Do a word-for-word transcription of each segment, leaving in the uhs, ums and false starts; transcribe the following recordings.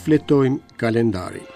Shfletojmë kalendarin.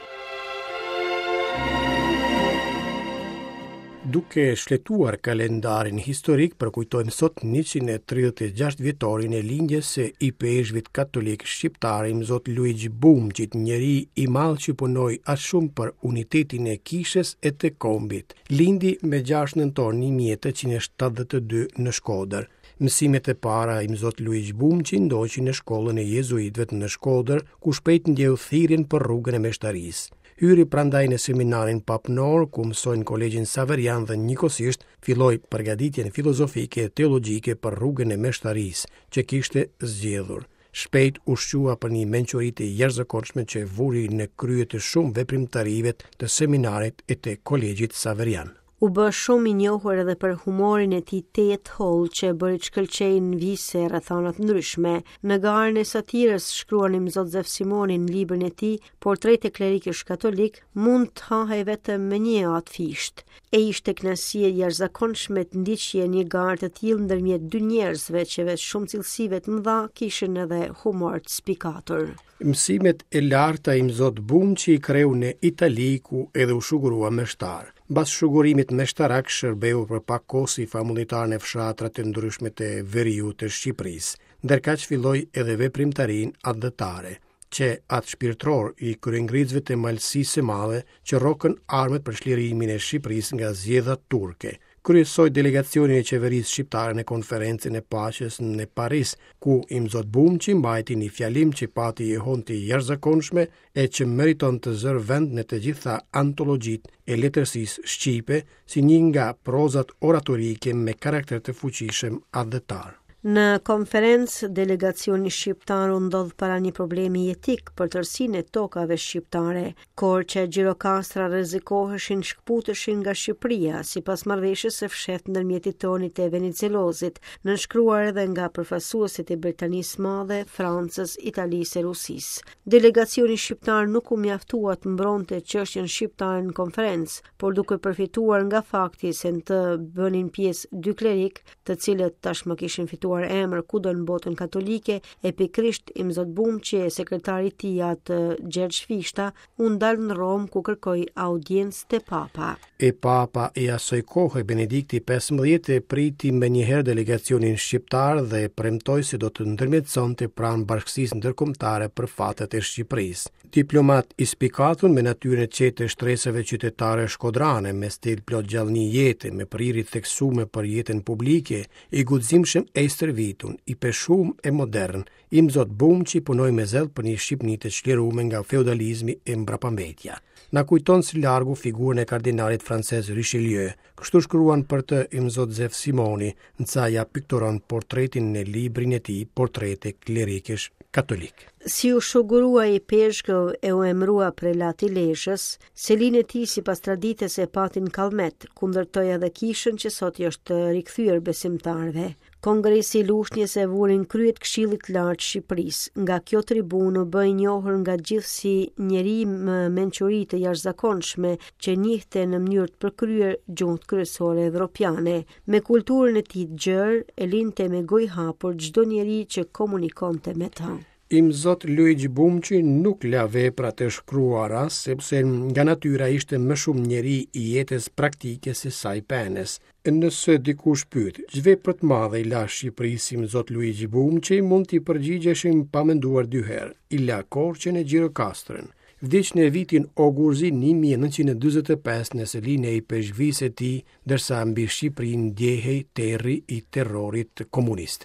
Duke shfletuar kalendarin historik, përkujtojmë sot njëqind e tridhjetë e gjashtë vjetorin e lindjes së ipeshkvit katolik shqiptar Imzot Luigj Bumçit, njeri i madh që punoi aq shumë për unitetin e kishës e të kombit. Lindi me gjashtë nëntor një mijë e tetëqind e shtatëdhjetë e dy në Shkodër. Mësimet e para Imzot Luigj Bumçi ndoqi në shkollën e jezuitëve në Shkodër, ku shpejt ndjeu thirrjen për rrugën e meshtarisë. Hyri prandaj në seminarin papnor, ku mësoi në kolegjin Saverian dhe njëkohësisht filloi përgatitjen filozofike e teologjike për rrugën e meshtarisë që kishte zgjedhur. Shpejt u shqua për një mençuri të jashtëzakonshme që vuri në krye të shumë veprimtarive të seminarit e të kolegjit Saverian. U bë shumë i njohur edhe për humorin e tij tejet hollë që e bëri të shkëlqejë në vise e rrethana të ndryshme. Në garën e satirës shkruan Imzot Zef Simoni në librin e tij Portrete klerikësh katolik, mund të hahej vetëm me një atë fisht. E ishte kënaqësi e jashtëzakonshme të ndiqje një garë të tillë ndërmjet dy njerëzve që veç shumë cilësive të mëdha kishin edhe humor të spikatur. Mësimet e larta Imzot Bumçi i kreu në Itali, ku edhe u shugurua meshtar. Mbas shugurimit meshtarak shërbeu për pak kohë si famullitar në fshatrat e ndryshme të veriut të Shqipërisë, ndërkaq filloi edhe veprimtarinë atdhetare, që atë shpirtëror i kryengritësve të Malësisë së Madhe që rrokën armët për çlirimin e Shqipërisë nga zgjedha turke. Kryesoi delegacionin e qeverisë shqiptare në konferencën e paqes në Paris, ku Imzot Bumçi mbajti një fjalim që pati jehon të jashtëzakonshme e që meriton të zërë vend në të gjitha antologjitë e letërsisë shqipe, si një nga prozat oratorike me karakter të fuqishëm atdhetar. Në konferencë, delegacioni shqiptar u ndodh para një problemi jetik për tërësinë e tokave shqiptare. Korça e Gjirokastra rrezikoheshin shkputeshin nga Shqipëria, sipas marrëveshjes së fshehtë ndërmjet Titonit e Venizelozit, nënshkruar edhe nga përfaqësuesit e Britanisë Madhe, Francës, Italisë e Rusisë. Delegacioni shqiptar nuk u mjaftua të mbronte çështjen shqiptare në konferencë, por duke përfituar nga fakti se në të bënin pjesë dy klerik, të cilët tashmë kishin fituar emër kudo në botën katolike, e pikërisht Imzot Bumçi e sekretari i tij atë Gjergj Fishta u ndal në Romë ku kërkoi audiencë te Papa. E Papa i asaj kohe Benedikti pesëmbëdhjetë e priti me njëherë delegacionin shqiptar dhe premtoi se do të ndërmjetësonte pranë bashkësisë ndërkombëtare për fatet e Shqipërisë. Diplomat i spikatur me natyrën e qetë të shtresave qytetare shkodrane, me stil plot gjallëni jete, me prirje theksume për jetën publike, i guximshëm e i stërvitun, i peshum e modern, Imzot Bumçi punoi me zell për një Shqipëni të çliruar nga feudalizmi e mbrapambetja. Na kujton si largu figurën e kardinalit francez Richelieu. Kështu shkruan për të Imzot Zef Simoni, ndërsa ja pikturon portretin në librin e tij Portrete klerikësh katolik. Si u shugurua i peshkëv e u emrua prelat i Lezhës, selinë e tij sipas traditës e pati në Kallmet, ku ndërtoi edhe kishën që sot i është rikthyer besimtarëve. Kongresi i Lushnjës e vuri në krye të Këshillit të Lartë të Shqipërisë. Nga kjo tribunë u bë i njohur nga gjithë si njeri me mençuri të jashtëzakonshme që njihte në mënyrë të përkryer gjuhët kryesore evropiane. Me kulturën e tij të gjerë e linte me gojë hapur çdo njeri që komunikonte me të. Imzot Luigj Bumçi nuk la vepra të shkruara, sepse nga natyra ishte më shumë njeri i jetës praktike se sa i penës. Nëse dikush pyet, ç'vepër të madhe i la Shqipërisë Imzot Luigj Bumçi, mund t'i përgjigjeshim pa menduar dy herë. I la Korçën e Gjirokastrën. Vdiq në vitin Ogurzi një mijë e nëntëqind e dyzet e pesë në selinë e ipeshkvisë së tij, ndërsa mbi Shqipërinë ndjehej terri i terrorit komunist.